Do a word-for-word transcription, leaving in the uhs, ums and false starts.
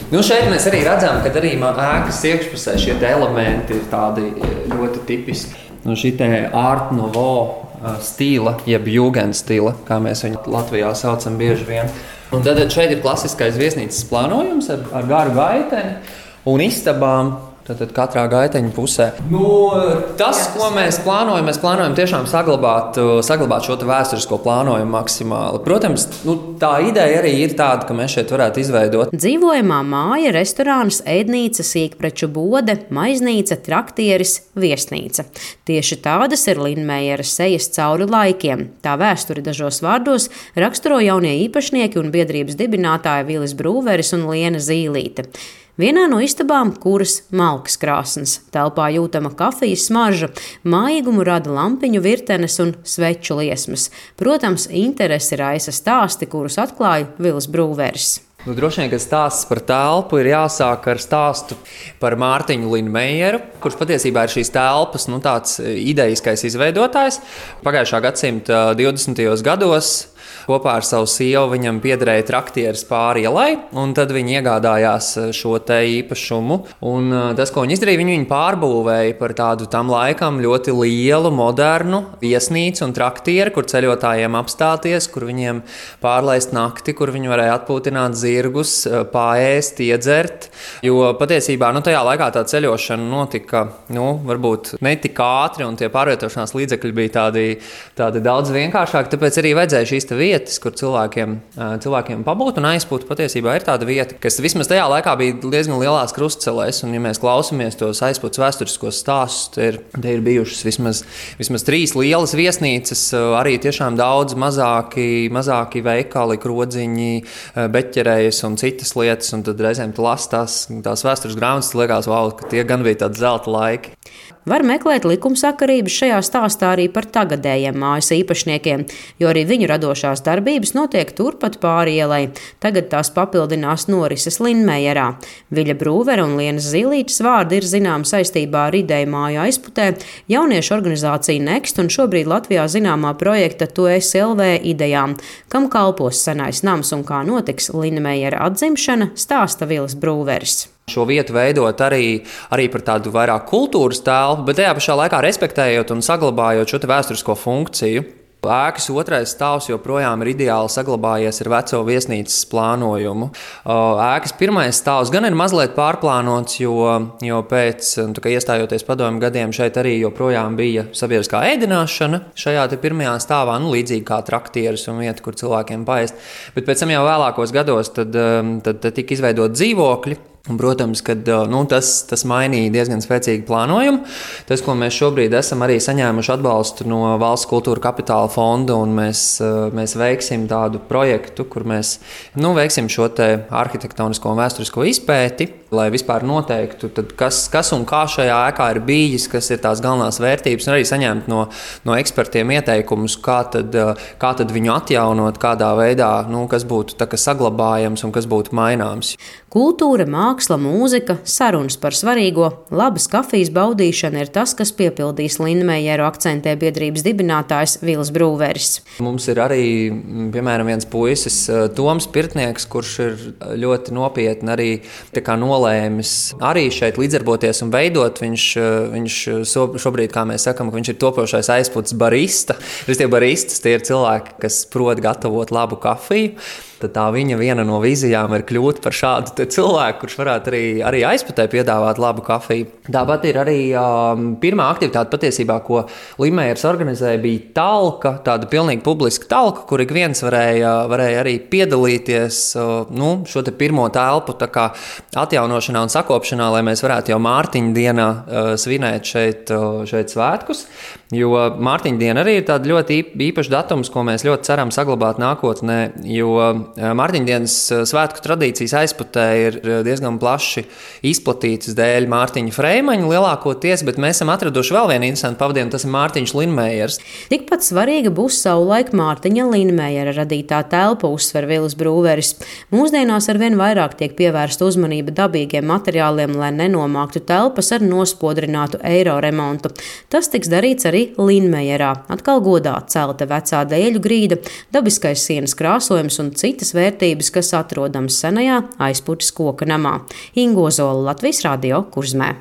Nu, šeit mēs arī redzam, ka arī ēkas iekšpusē šie elementi ir tādi ļoti tipiski. Nu, šī te Art Nouveau stila, jeb Jugendstila, kā mēs viņu Latvijā saucam bieži vien. Un tad šeit ir klasiskais viesnīcas plānojums ar, ar garu gaiteni un istabām. Tātad katrā gaiteņa pusē. Nu, tas, ko mēs plānojam, mēs plānojam tiešām saglabāt, saglabāt šo vēsturisko plānojumu maksimāli. Protams, nu, tā ideja arī ir tāda, ka mēs šeit varētu izveidot dzīvojamā māja, restorāns, ēdnīca, sīkpreču bode, maiznīca, traktieris, viesnīca. Tieši tādas ir Linmeieras sejas cauri laikiem. Tā vēsturi dažos vārdos raksturo jaunie īpašnieki un biedrības dibinātāji Vilis Brūveris un Liena Zīlīte. Vienā no istabām kuras malkas krāsnes, telpā jūtama kafijas smarža, mājīgumu rada lampiņu virtenes un sveču liesmas. Protams, interesi raisa stāsti, kurus atklāja Vilis Brūveris. Nu, droši vien, ka stāsts par telpu ir jāsāk ar stāstu par Mārtiņu Linmeieru, kurš patiesībā ir šīs telpas nu, tāds idejiskais izveidotājs. Pagājušā gadsimta divdesmitajos gados kopā ar savu sievu viņam piederēja traktieris pāri ielai, un tad viņi iegādājās šo te īpašumu. Un tas, ko viņi izdarīja, viņi viņu pārbūvēja par tādu tam laikam ļoti lielu, modernu viesnīcu un traktieri, kur ceļotājiem apstāties, kur viņiem pārlaist nakti, kur viņi varēja atpūtināt zirgus, paēst, iedzert. Jo patiesībā nu, tajā laikā tā ceļošana notika nu, varbūt ne tik ātri, un tie pārvietošanās līdzekļi bija tādi, tādi daudz vienkāršāki, tāpēc arī vajadzēja šīs te vietas, kur cilvēkiem, cilvēkiem pabūt un aizpūt. Patiesībā ir tāda vieta, kas vismaz tajā laikā bija diezgan lielās krustcelēs, un ja mēs klausamies tos aizpūtas vēsturiskos stāstus, te ir, te ir bijušas vismaz, vismaz trīs lielas viesnīcas, arī tiešām daudz mazāki, mazāki veikali, krodziņi, beķerējas un citas lietas, un tad reizēm tu lasi tās, tās vēstures grāmatas, liekas, wow, ka tie gan bija tādi zelta laiki. Var meklēt likumsakarības šajā stāstā arī par tagadējiem mājas īpašniekiem, jo arī viņu radošās darbības notiek turpat pāri ielai. Tagad tās papildinās norises Linmeierā. Viļa Brūvera un Lienas Zīlītes vārdi ir zināmi saistībā ar ideju māju aizputē, jauniešu organizāciju Next un šobrīd Latvijā zināmā projekta Tu esi L V idejām, kam kalpos senais nams un kā notiks Linmeiera atzimšana, stāsta Vilis Brūveris. Šo vietu veidot arī, arī par tādu vairāk kultūras telpu, bet tajā pašā laikā respektējot un saglabājot šo vēsturisko funkciju. Ēkas otrais stāvs joprojām ir ideāli saglabājies ar veco viesnīcas plānojumu. Ēkas pirmais stāvs gan ir mazliet pārplānots, jo, jo pēc iestājoties padomju gadiem šeit arī joprojām bija sabiedriskā ēdināšana šajā te pirmajā stāvā, nu, līdzīgi kā traktieris un vieta, kur cilvēkiem paēst. Bet pēc tam jau vēlākos gados tad, tad, tad tika izveidot dzīvokļi. Un, protams, ka nu, tas, tas mainīja diezgan spēcīgu plānojumu. Tas, ko mēs šobrīd esam arī saņēmuši atbalstu no Valsts kultūra kapitāla fonda, un mēs, mēs veiksim tādu projektu, kur mēs nu, veiksim šo te arhitektonisko un vēsturisko izpēti, lai vispār noteiktu, tad kas, kas un kā šajā ēkā ir bijis, kas ir tās galvenās vērtības, un arī saņemt no, no ekspertiem ieteikumus, kā tad, kā tad viņu atjaunot, kādā veidā, nu, kas būtu tā, kas saglabājams un kas būtu maināms. Kultūra, māksla, mūzika, sarunas par svarīgo, labas kafijas baudīšana ir tas, kas piepildīs Linmeieru, akcentē biedrības dibinātājs Vilis Brūveris. Mums ir arī, piemēram, viens puisis, Toms Pirtnieks, kurš ir ļoti nopietni arī tā kā nolēmis arī šeit līdzdarboties un veidot. Viņš, viņš šobrīd, kā mēs sakam, ka viņš ir topošais aizpūtas barista. Tie baristas, tie ir cilvēki, kas prot gatavot labu kafiju. Tad tā viņa viena no vīzijām ir kļūt par šādu cilvēku, kurš varētu arī, arī aizputē piedāvāt labu kafiju. Tāpat ir arī um, pirmā aktivitāte patiesībā, ko Linmeiers organizēja, bija talka, tāda pilnīgi publiska talka, kur ik viens varēja, varēja arī piedalīties uh, nu, šo te pirmo telpu tā kā atjaunošanā un sakopšanā, lai mēs varētu jau Mārtiņa dienā uh, svinēt šeit, uh, šeit svētkus. Jo Mārtiņa diena arī ir tāda ļoti īpaša datums, ko mēs ļoti ceram saglabāt nākotnē, jo Mārtiņa dienas svētku tradīcijas aizputē ir diezgan plaši izplatītas dēļ Mārtiņa Freimaņa lielākoties, bet mēs esam atraduši vēl vienu interesantu pavadienu, tas ir Mārtiņš Linmeiers. Tikpat svarīga būs savulaik Mārtiņa Linmeiera radītā telpa, uzsver Vilis Brūveris. Mūsdienās arvien vairāk tiek pievērsta uzmanība dabīgiem materiāliem, lai nenomāktu telpas ar nospodrinātu eiro remontu. Tas tiks darīts arī Linmeierā. Atkal godā celta vecā dēļu grīda, dabiskais sienas krāsojums un citi citas vērtības, kas atrodamas senajā Aizputes koka namā. Inga Ozola, Latvijas Radio, Kurzmē.